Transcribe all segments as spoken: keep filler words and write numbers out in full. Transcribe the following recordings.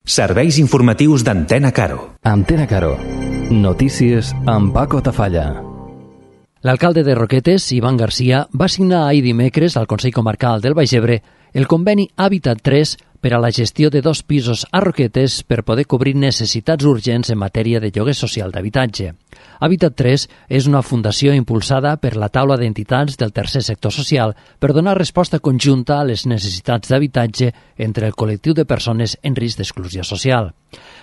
Serveis informatius d'Antena Caro. Antena Caro. Notícies amb Paco Tafalla. L'alcalde de Roquetes, Ivan Garcia, va signar ahir dimecres al Consell Comarcal del Baix Ebre el conveni Hàbitat tres per a la gestió de dos pisos a Roquetes per poder cobrir necessitats urgents en matèria de lloguer social d'habitatge. Hàbitat tres és una fundació impulsada per la taula d'entitats del tercer sector social per donar resposta conjunta a les necessitats d'habitatge entre el col·lectiu de persones en risc d'exclusió social.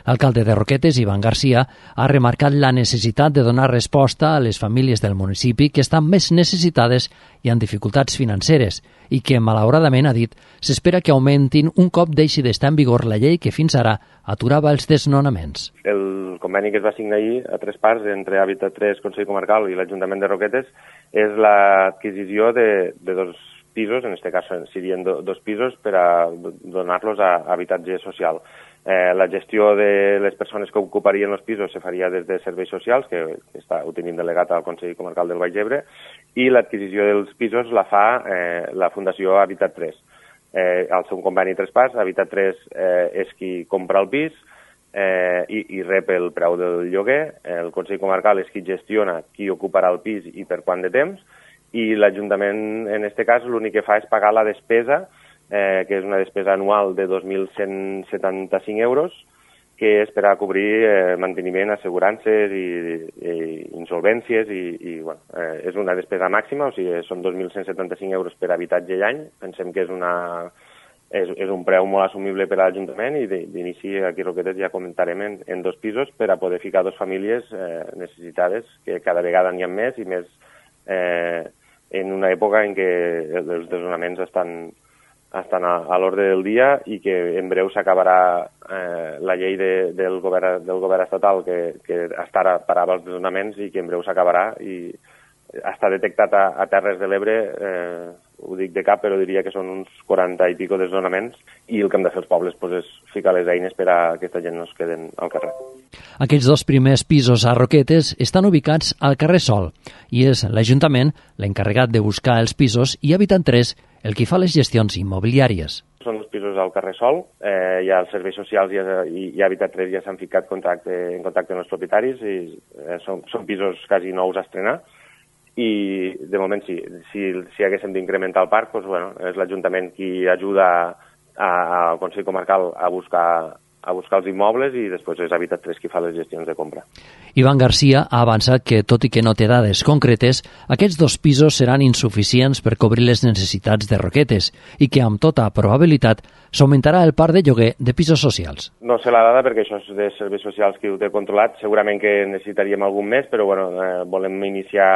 L'alcalde de Roquetes, Ivan Garcia, ha remarcat la necessitat de donar resposta a les famílies del municipi que estan més necessitades i amb dificultats financeres i que, malauradament, ha dit, s'espera que augmentin un cop deixi d'estar en vigor la llei que fins ara aturava els desnonaments. El conveni que es va signar ahir a tres parts entre Hàbitat tres, Consell Comarcal i l'Ajuntament de Roquetes és l'adquisició de, de dos pisos, en aquest cas serien do, dos pisos, per a donar-los a habitatge social. Eh, la gestió de les persones que ocuparien els pisos se faria des de serveis socials, que, que està, ho tenim delegat al Consell Comarcal del Baix Ebre, i l'adquisició dels pisos la fa eh, la Fundació Hàbitat tres. Eh, al seu conveni tres parts, Hàbitat tres eh, és qui compra el pis eh, i, i rep el preu del lloguer, el Consell Comarcal és qui gestiona qui ocuparà el pis i per quant de temps, i l'Ajuntament, en aquest cas, l'únic que fa és pagar la despesa, eh, que és una despesa anual de dos mil cent setanta-cinc euros, que és per a cobrir eh, manteniment, assegurances i, i insolvències, i, i bueno, eh, és una despesa màxima, o sigui, són dos mil cent setanta-cinc euros per habitatge i any. Pensem que és, una, és, és un preu molt assumible per a l'Ajuntament i d'inici aquí a Roquetes ja comentarem en, en dos pisos per a poder ficar dos famílies eh, necessitades, que cada vegada n'hi ha més i més eh, en una època en què els desnonaments estan estan a, a l'ordre del dia i que en breu s'acabarà eh, la llei de, del, govern, del govern estatal que, que hasta ara parava els desnonaments i que en breu s'acabarà i està detectat a, a Terres de l'Ebre, eh, ho dic de cap, però diria que són uns quaranta i pico desnonaments i el que hem de fer els pobles pues, és ficar les eines per a que aquesta gent no es queden al carrer. Aquests dos primers pisos a Roquetes estan ubicats al carrer Sol i és l'Ajuntament l'encarregat de buscar els pisos i Hàbitat tres el qui fa les gestions immobiliàries. Són els pisos al carrer Sol, eh, ja els serveis socials i, i, i Hàbitat tres ja s'han ficat contacte, en contacte amb els propietaris i eh, són, són pisos quasi nous a estrenar i de moment sí, si, si haguéssim d'incrementar el parc, doncs, bueno, és l'Ajuntament qui ajuda al Consell Comarcal a buscar a buscar els immobles i després és Hàbitat tres qui fa les gestions de compra. Ivan Garcia ha avançat que, tot i que no té dades concretes, aquests dos pisos seran insuficients per cobrir les necessitats de Roquetes i que, amb tota probabilitat, s'augmentarà el parc de lloguer de pisos socials. No sé la dada perquè això és de serveis socials qui ho té controlat. Segurament que necessitaríem algun més, però bueno, eh, volem iniciar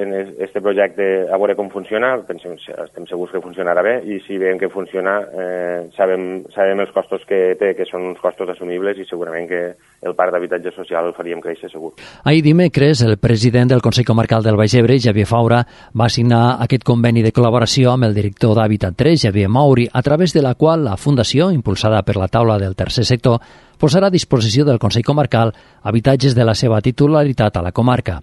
en aquest projecte a veure com funciona. Pensem, estem segurs que funcionarà bé i si veiem que funciona eh, sabem, sabem els costos que té, que són uns costos assumibles i segurament que el parc d'habitatge social el faríem créixer segur. Ahir dimecres, el president del Consell Comarcal del Baix Ebre, Xavier Faura, va signar aquest conveni de col·laboració amb el director d'Hàbitat tres, Xavier Mauri, a través de la qual la Fundació, impulsada per la taula del tercer sector, posarà a disposició del Consell Comarcal habitatges de la seva titularitat a la comarca.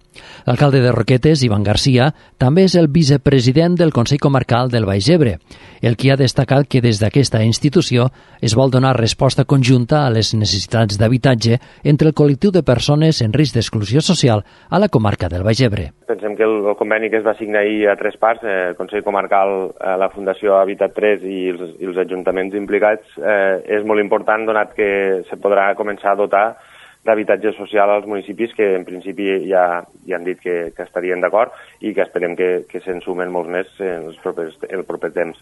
L'alcalde de Roquetes, Ivan Garcia, també és el vicepresident del Consell Comarcal del Baix Ebre, el qui ha destacat que des d'aquesta institució es vol donar resposta conjunta a les necessitats d'habitatge entre el col·lectiu de persones en risc d'exclusió social a la comarca del Baix Ebre. Pensem que el, el conveni que es va signar ahir a tres parts, eh, el Consell Comarcal, eh, la Fundació Hàbitat tres i els, i els ajuntaments implicats, eh, és molt important donat que se podrà començar a dotar d'habitatge social als municipis que en principi ja, ja han dit que, que estarien d'acord i que esperem que, que se'n sumen molts més en els propers, el proper temps.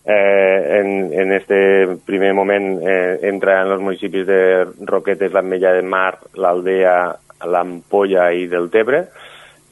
Eh, en, en este primer moment eh, entra en els municipis de Roquetes, l'Ametlla de Mar, l'Aldea, l'Ampolla i del Tebre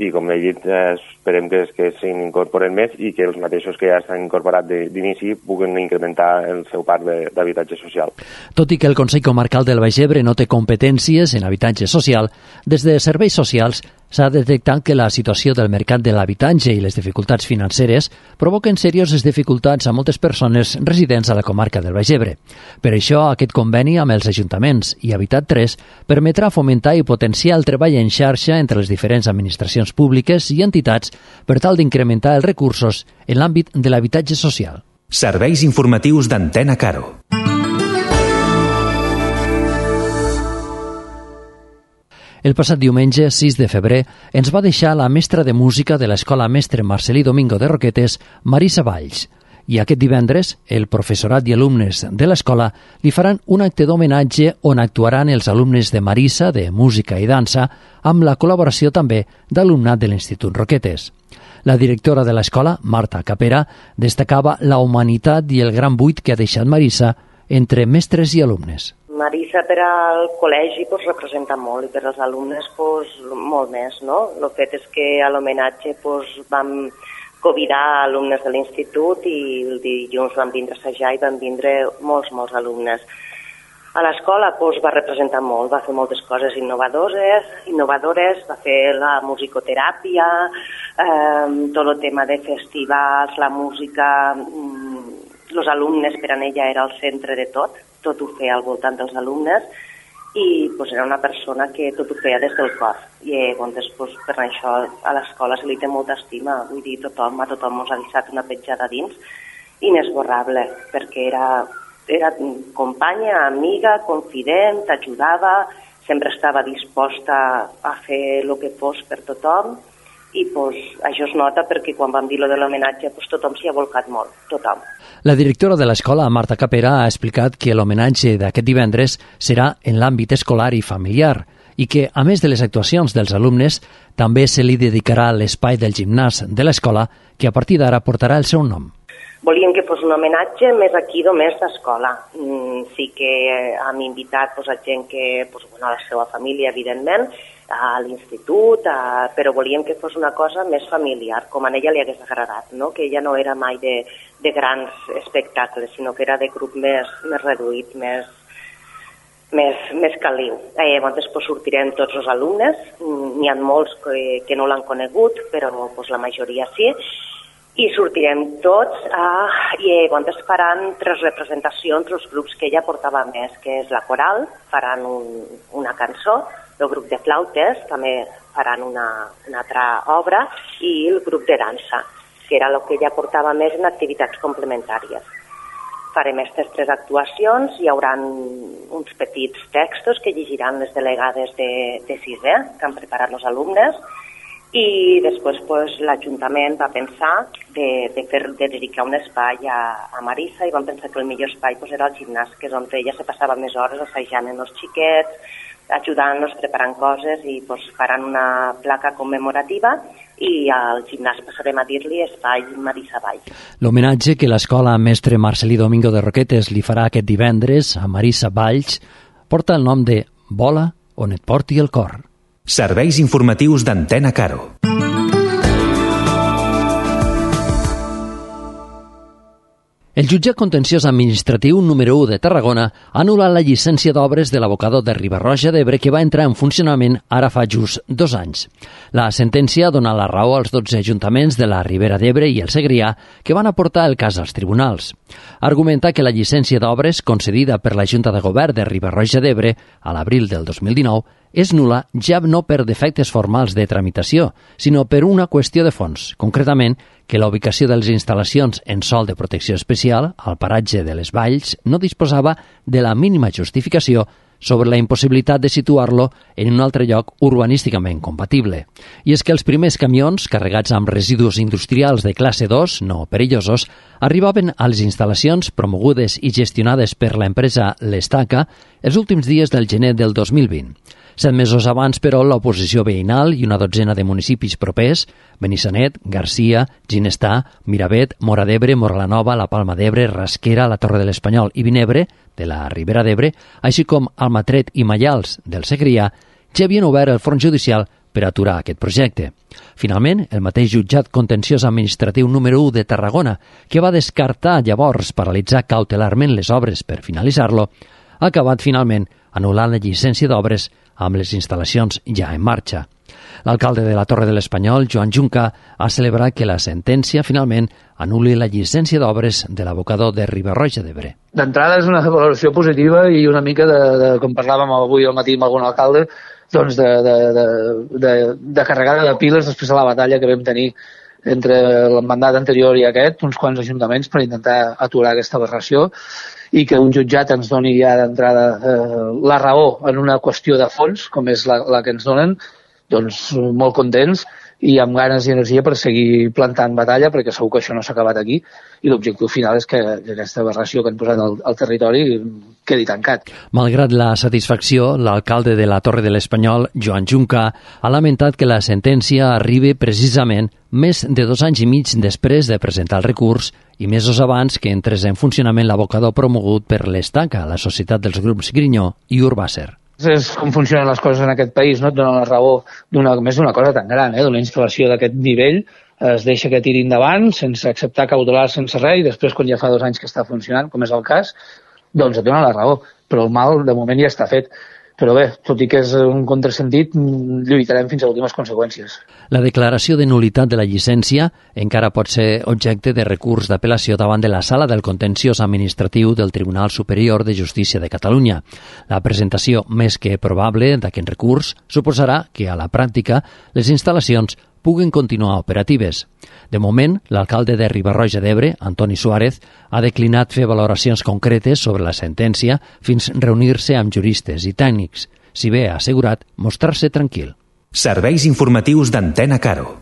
i com he dit eh, esperem que, que s'incorporen més i que els mateixos que ja s'han incorporat d'inici puguen incrementar el seu parc d'habitatge social. Tot i que el Consell Comarcal del Baix Ebre no té competències en habitatge social, des de serveis socials s'ha detectat que la situació del mercat de l'habitatge i les dificultats financeres provoquen serioses dificultats a moltes persones residents a la comarca del Baix Ebre. Per això, aquest conveni amb els ajuntaments i Hàbitat tres permetrà fomentar i potenciar el treball en xarxa entre les diferents administracions públiques i entitats per tal d'incrementar els recursos en l'àmbit de l'habitatge social. Serveis informatius d'Antena Caro. El passat diumenge, sis de febrer, ens va deixar la mestra de música de l'Escola Mestre Marcelí Domingo de Roquetes, Marisa Valls. I aquest divendres, el professorat i alumnes de l'escola li faran un acte d'homenatge on actuaran els alumnes de Marisa, de música i dansa, amb la col·laboració també d'alumnat de l'Institut Roquetes. La directora de l'escola, Marta Capera, destacava la humanitat i el gran buit que ha deixat Marisa entre mestres i alumnes. Marisa per al col·legi pues, representa molt i per als alumnes pues, molt més. No? El fet és que a l'homenatge pues, vam convidar alumnes de l'institut i el dilluns van vindre a assajar i van vindre molts, molts alumnes. A l'escola pues, va representar molt, va fer moltes coses innovadores, innovadores va fer la musicoteràpia, eh, tot el tema de festivals, la música, els alumnes per a ella era el centre de tot, tot ho feia al voltant dels alumnes i pues, era una persona que tot ho feia des del cor. I eh, doncs, pues, per això a l'escola se li té molta estima, vull dir, tothom, a tothom ens ha deixat una petjada dins inesborrable, perquè era, era companya, amiga, confident, t'ajudava, sempre estava disposta a fer el que fos per tothom i pues, això es nota perquè quan vam dir lo de l'homenatge pues, tothom s'hi ha volcat molt, tothom. La directora de l'escola, Marta Capera, ha explicat que l'homenatge d'aquest divendres serà en l'àmbit escolar i familiar i que, a més de les actuacions dels alumnes, també se li dedicarà l'espai del gimnàs de l'escola que a partir d'ara portarà el seu nom. Volíem que fos un homenatge més aquí només d'escola. Mm, sí que hem invitat pues, a gent que, pues, bueno, a la seva família, evidentment, a l'institut, a... però volíem que fos una cosa més familiar, com a ella li hagués agradat, no? Que ella no era mai de, de grans espectacles, sinó que era de grup més, més reduït, més, més, més caliu. Eh, doncs pues, sortirem tots els alumnes, n'hi ha molts que, que no l'han conegut, però pues, la majoria sí, i sortirem tots eh, i eh, doncs faran tres representacions els grups que ella portava més, que és la coral, faran un, una cançó, el grup de flautes també faran una, una altra obra i el grup de dansa, que era el que ella portava més en activitats complementàries. Farem aquestes tres actuacions, hi haurà uns petits textos que llegiran les delegades de, de sisè, que han preparat els alumnes, i després pues, l'Ajuntament va pensar de, de, fer, de dedicar un espai a, a Marisa i van pensar que el millor espai pues, era el gimnàs, que és on ella se passava més hores assajant amb els xiquets, ajudant-nos, preparant coses i pues, faran una placa commemorativa i al gimnàs passarem a dir-li Espai Marisa Valls. L'homenatge que l'escola Mestre Marcelí Domingo de Roquetes li farà aquest divendres a Marisa Valls porta el nom de Vola on et porti el cor. Serveis informatius d'Antena Caro. El jutjat contenciós administratiu número u de Tarragona ha anul·lat la llicència d'obres de l'abocador de Riba-roja d'Ebre que va entrar en funcionament ara fa just dos anys. La sentència ha donat la raó als dotze ajuntaments de la Ribera d'Ebre i el Segrià que van aportar el cas als tribunals. Argumenta que la llicència d'obres concedida per la Junta de Govern de Riba-roja d'Ebre a l'abril del dos mil dinou és nul·la ja no per defectes formals de tramitació, sinó per una qüestió de fons, concretament que la ubicació de les instal·lacions en sòl de protecció especial al paratge de les Valls no disposava de la mínima justificació sobre la impossibilitat de situar-lo en un altre lloc urbanísticament compatible. I és que els primers camions, carregats amb residus industrials de classe dos, no perillosos, arribaven a les instal·lacions promogudes i gestionades per l'empresa L'Estaca els últims dies del gener del dos mil vint. Set mesos abans, però, l'oposició veïnal i una dotzena de municipis propers, Benissanet, Garcia, Ginestà, Miravet, Móra d'Ebre, Moralanova, la Palma d'Ebre, Rasquera, la Torre de l'Espanyol i Vinebre, de la Ribera d'Ebre, així com Almatret i Maials, del Segrià, ja havien obert el front judicial per aturar aquest projecte. Finalment, el mateix jutjat contenciós administratiu número u de Tarragona, que va descartar llavors paralitzar cautelarment les obres per finalitzar-lo, ha acabat finalment anul·lant la llicència d'obres amb les instal·lacions ja en marxa. L'alcalde de la Torre de l'Espanyol, Joan Junca, ha celebrat que la sentència finalment anul·li la llicència d'obres de l'abocador de Riba-roja d'Ebre. D'entrada és una valoració positiva i una mica de, de com parlàvem avui al matí amb algun alcalde, doncs de, de, de, de, de carregada de piles després de la batalla que vam tenir entre el mandat anterior i aquest, uns quants ajuntaments per intentar aturar aquesta aberració i que un jutjat ens doni ja d'entrada eh, la raó en una qüestió de fons, com és la, la que ens donen, doncs molt contents i amb ganes i energia per seguir plantant batalla, perquè segur que això no s'ha acabat aquí i l'objectiu final és que, que aquesta aberració que han posat al, al territori quedi tancat. Malgrat la satisfacció, l'alcalde de la Torre de l'Espanyol, Joan Junca, ha lamentat que la sentència arribi precisament més de dos anys i mig després de presentar el recurs i mesos abans que entrés en funcionament l'abocador promogut per l'Estaca, la societat dels grups Grinyó i Urbàcer. És com funcionen les coses en aquest país, no et donen la raó d'una, més d'una cosa tan gran, eh? D'una instal·lació d'aquest nivell, es deixa que tiri endavant sense acceptar cautelar, sense res, i després quan ja fa dos anys que està funcionant, com és el cas, doncs et donen la raó, però el mal de moment ja està fet. Però bé, tot i que és un contrasentit, lluitarem fins a últimes conseqüències. La declaració de nul·litat de la llicència encara pot ser objecte de recurs d'apel·lació davant de la Sala del Contenciós Administratiu del Tribunal Superior de Justícia de Catalunya. La presentació més que probable d'aquest recurs suposarà que, a la pràctica, les instal·lacions puguen continuar operatives. De moment, l'alcalde de Riba-roja d'Ebre, Antoni Suárez, ha declinat fer valoracions concretes sobre la sentència fins reunir-se amb juristes i tècnics, si bé ha assegurat mostrar-se tranquil. Serveis informatius d'Antena Caro.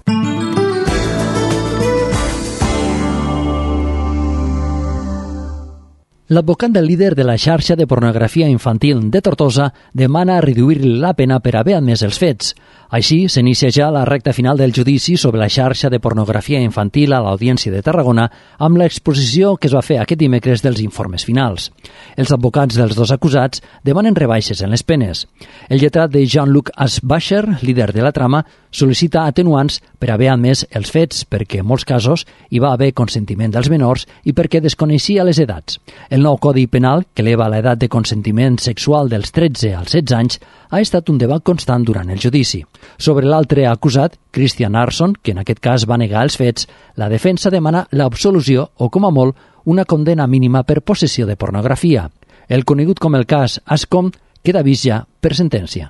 L'advocat del líder de la xarxa de pornografia infantil de Tortosa demana reduir la pena per haver admès els fets. Així, s'inicia ja la recta final del judici sobre la xarxa de pornografia infantil a l'Audiència de Tarragona amb l'exposició que es va fer aquest dimecres dels informes finals. Els advocats dels dos acusats demanen rebaixes en les penes. El lletrat de Jean-Luc Asbacher, líder de la trama, sol·licita atenuants per haver admès els fets perquè en molts casos hi va haver consentiment dels menors i perquè desconeixia les edats. El nou Codi Penal, que eleva l'edat de consentiment sexual dels tretze als setze anys, ha estat un debat constant durant el judici. Sobre l'altre acusat, Christian Arson, que en aquest cas va negar els fets, la defensa demana l'absolució o, com a molt, una condena mínima per possessió de pornografia. El conegut com el cas Ascom queda vist ja per sentència.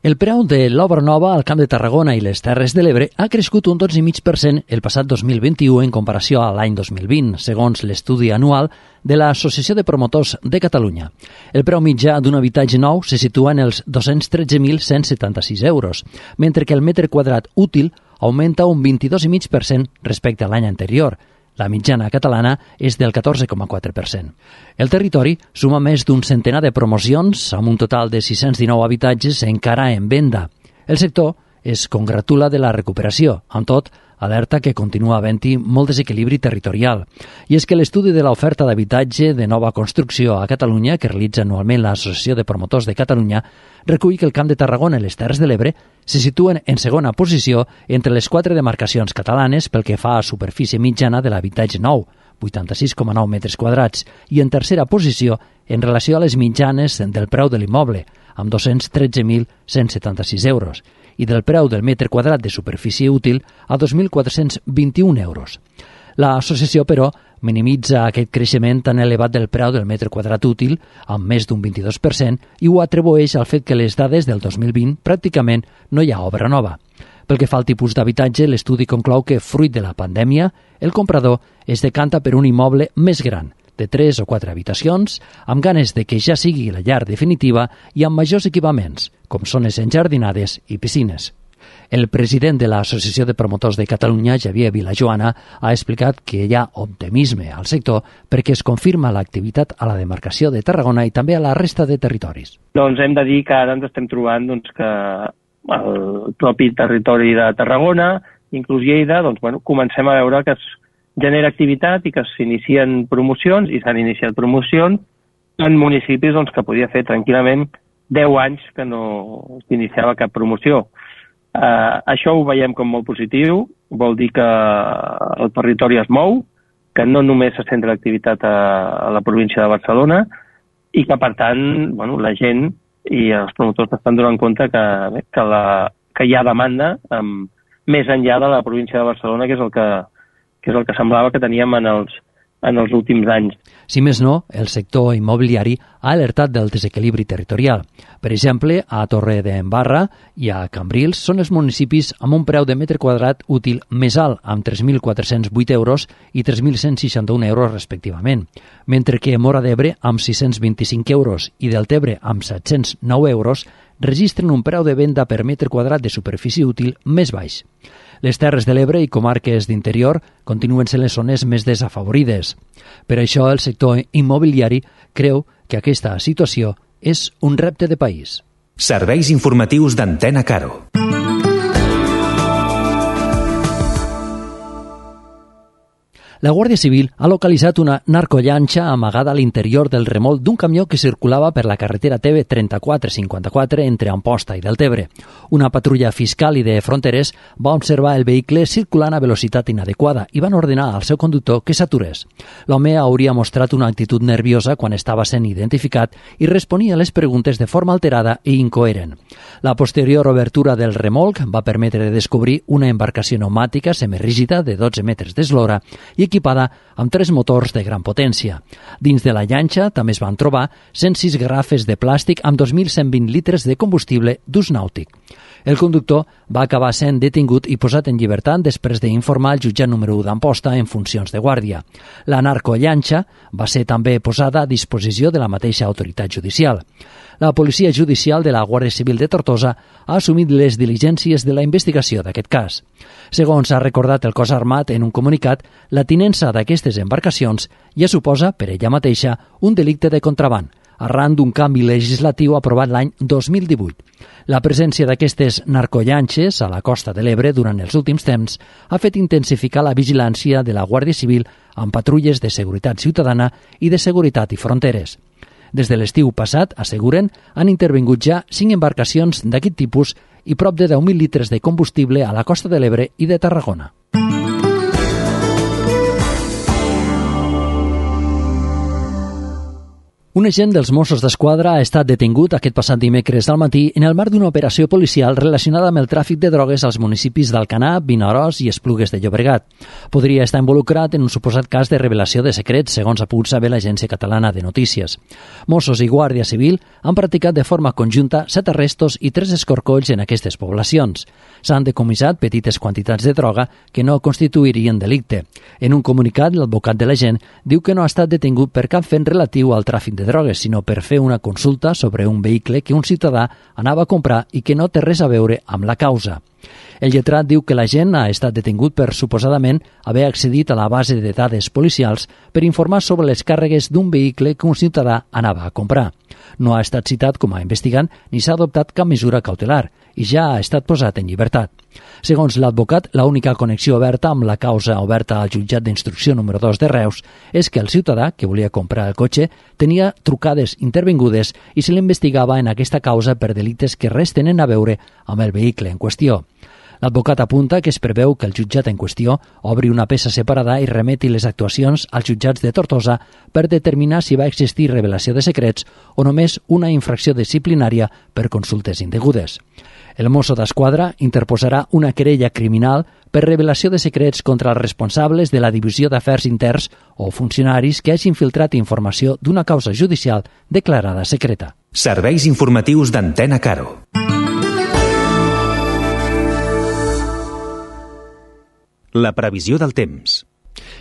El preu de l'obra nova al Camp de Tarragona i les Terres de l'Ebre ha crescut un dotze coma cinc per cent el passat dos mil vint-i-u en comparació a l'any dos mil vint, segons l'estudi anual de l'Associació de Promotors de Catalunya. El preu mitjà d'un habitatge nou se situa en els dos-cents tretze mil cent setanta-sis euros, mentre que el metre quadrat útil augmenta un vint-i-dos coma cinc per cent respecte a l'any anterior. La mitjana catalana és del catorze coma quatre per cent. El territori suma més d'un centenar de promocions, amb un total de sis-cents dinou habitatges encara en venda. El sector es congratula de la recuperació, amb tot, alerta que continua havent-hi molt desequilibri territorial. I és que l'estudi de l'oferta d'habitatge de nova construcció a Catalunya, que realitza anualment l'Associació de Promotors de Catalunya, recull que el Camp de Tarragona i les Terres de l'Ebre se situen en segona posició entre les quatre demarcacions catalanes pel que fa a superfície mitjana de l'habitatge nou, vuitanta-sis coma nou metres quadrats, i en tercera posició en relació a les mitjanes del preu de l'immoble, amb dos-cents tretze mil cent setanta-sis euros, i del preu del metre quadrat de superfície útil a dos mil quatre-cents vint-i-un euros. L'associació, però, minimitza aquest creixement tan elevat del preu del metre quadrat útil, amb més d'un vint-i-dos per cent, i ho atribueix al fet que les dades del dos mil vint pràcticament no hi ha obra nova. Pel que fa al tipus d'habitatge, l'estudi conclou que, fruit de la pandèmia, el comprador es decanta per un immoble més gran, de tres o quatre habitacions, amb ganes de que ja sigui la llar definitiva i amb majors equipaments, com zones enjardinades i piscines. El president de l'Associació de Promotors de Catalunya, Javier Vilajoana, ha explicat que hi ha optimisme al sector perquè es confirma l'activitat a la demarcació de Tarragona i també a la resta de territoris. Doncs hem de dir que ara ens estem trobant doncs, que el propi territori de Tarragona, inclús Lleida, doncs, bueno, comencem a veure que es genera activitat i que s'inicien promocions, i s'han iniciat promocions en municipis doncs, que podia fer tranquil·lament deu anys que no s'iniciava cap promoció. Uh, això ho veiem com molt positiu, vol dir que el territori es mou, que no només se centra l'activitat a, a la província de Barcelona i que, per tant, bueno, la gent i els promotors estan donant compte que, bé, que, la, que hi ha demanda um, més enllà de la província de Barcelona, que és el que, que és el que semblava que teníem en els en els últims anys. Si més no, el sector immobiliari ha alertat del desequilibri territorial. Per exemple, a Torre d'Embarra i a Cambrils són els municipis amb un preu de metre quadrat útil més alt, amb tres mil quatre-cents vuit euros i tres mil cent seixanta-un euros respectivament, mentre que Móra d'Ebre, amb sis-cents vint-i-cinc euros, i Deltebre, amb set-cents nou euros, registren un preu de venda per metre quadrat de superfície útil més baix. Les Terres de l'Ebre i comarques d'interior continuen sent les zones més desafavorides. Per això, el sector immobiliari creu que aquesta situació és un repte de país. Serveis informatius d'Antena Caro. La Guàrdia Civil ha localitzat una narcollanxa amagada a l'interior del remolc d'un camió que circulava per la carretera T V trenta-quatre cinquanta-quatre entre Amposta i Deltebre. Una patrulla fiscal i de fronteres va observar el vehicle circulant a velocitat inadequada i van ordenar al seu conductor que s'aturés. L'home hauria mostrat una actitud nerviosa quan estava sent identificat i responia a les preguntes de forma alterada i incoherent. La posterior obertura del remolc va permetre descobrir una embarcació pneumàtica semirígida de dotze metres d'eslora i equipada amb tres motors de gran potència. Dins de la llanxa també es van trobar cent sis garrafes de plàstic amb dos mil cent vint litres de combustible d'ús nàutic. El conductor va acabar sent detingut i posat en llibertat després d'informar el jutjat número u d'Amposta en funcions de guàrdia. La narcollanxa va ser també posada a disposició de la mateixa autoritat judicial. La Policia Judicial de la Guàrdia Civil de Tortosa ha assumit les diligències de la investigació d'aquest cas. Segons ha recordat el cos armat en un comunicat, la tinença d'aquestes embarcacions ja suposa, per ella mateixa, un delicte de contraban, arran d'un canvi legislatiu aprovat l'any dos mil divuit. La presència d'aquestes narcollanxes a la costa de l'Ebre durant els últims temps ha fet intensificar la vigilància de la Guàrdia Civil amb patrulles de seguretat ciutadana i de seguretat i fronteres. Des de l'estiu passat, asseguren, han intervingut ja cinc embarcacions d'aquest tipus i prop de deu mil litres de combustible a la costa de l'Ebre i de Tarragona. Un agent dels Mossos d'Esquadra ha estat detingut aquest passat dimecres al matí en el marc d'una operació policial relacionada amb el tràfic de drogues als municipis d'Alcanar, Vinaròs i Esplugues de Llobregat. Podria estar involucrat en un suposat cas de revelació de secrets, segons ha pogut saber l'Agència Catalana de Notícies. Mossos i Guàrdia Civil han practicat de forma conjunta set arrestos i tres escorcolls en aquestes poblacions. S'han decomissat petites quantitats de droga que no constituirien delicte. En un comunicat, l'advocat de l'agent diu que no ha estat detingut per cap fet relatiu al tràfic de drogues, sinó per fer una consulta sobre un vehicle que un ciutadà anava a comprar i que no té res a veure amb la causa. El lletrat diu que l'agent ha estat detingut per suposadament haver accedit a la base de dades policials per informar sobre les càrregues d'un vehicle que un ciutadà anava a comprar. No ha estat citat com a investigant ni s'ha adoptat cap mesura cautelar i ja ha estat posat en llibertat. Segons l'advocat, l'única connexió oberta amb la causa oberta al jutjat d'instrucció número dos de Reus és que el ciutadà, que volia comprar el cotxe, tenia trucades intervingudes i se l'investigava en aquesta causa per delictes que res tenen a veure amb el vehicle en qüestió. L'advocat apunta que es preveu que el jutjat en qüestió obri una peça separada i remeti les actuacions als jutjats de Tortosa per determinar si va existir revelació de secrets o només una infracció disciplinària per consultes indegudes. El Mosso d'Esquadra interposarà una querella criminal per revelació de secrets contra els responsables de la Divisió d'Afers Interns o funcionaris que hagin filtrat informació d'una causa judicial declarada secreta. Serveis informatius d'Antena Caro. La previsió del temps.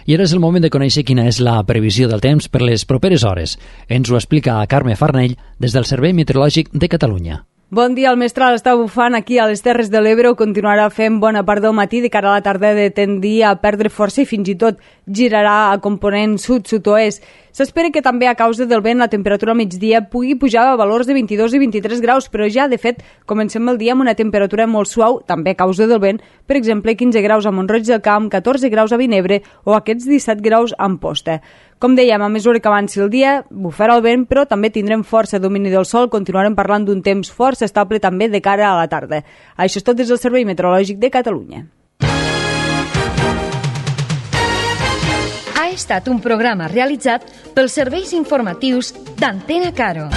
I ara és el moment de conèixer quina és la previsió del temps per les properes hores. Ens ho explica Carme Farnell des del Servei Meteorològic de Catalunya. Bon dia, el mestral està bufant aquí a les Terres de l'Ebre, ho continuarà fent bona part del matí, de cara a la tarda de tendir a perdre força i fins i tot girarà a component sud-sud-oest. S'espera que també a causa del vent la temperatura al migdia pugui pujar a valors de vint-i-dos i vint-i-tres graus, però ja, de fet, comencem el dia amb una temperatura molt suau, també a causa del vent, per exemple, quinze graus a Mont-roig del Camp, catorze graus a Vinebre o aquests disset graus a Amposta. Com dèiem, a mesura que avanci el dia, bufarà el vent, però també tindrem força domini del sol, continuarem parlant d'un temps força estable també de cara a la tarda. Això és tot des del Servei Meteorològic de Catalunya. Ha estat un programa realitzat pels serveis informatius d'Antena Caro.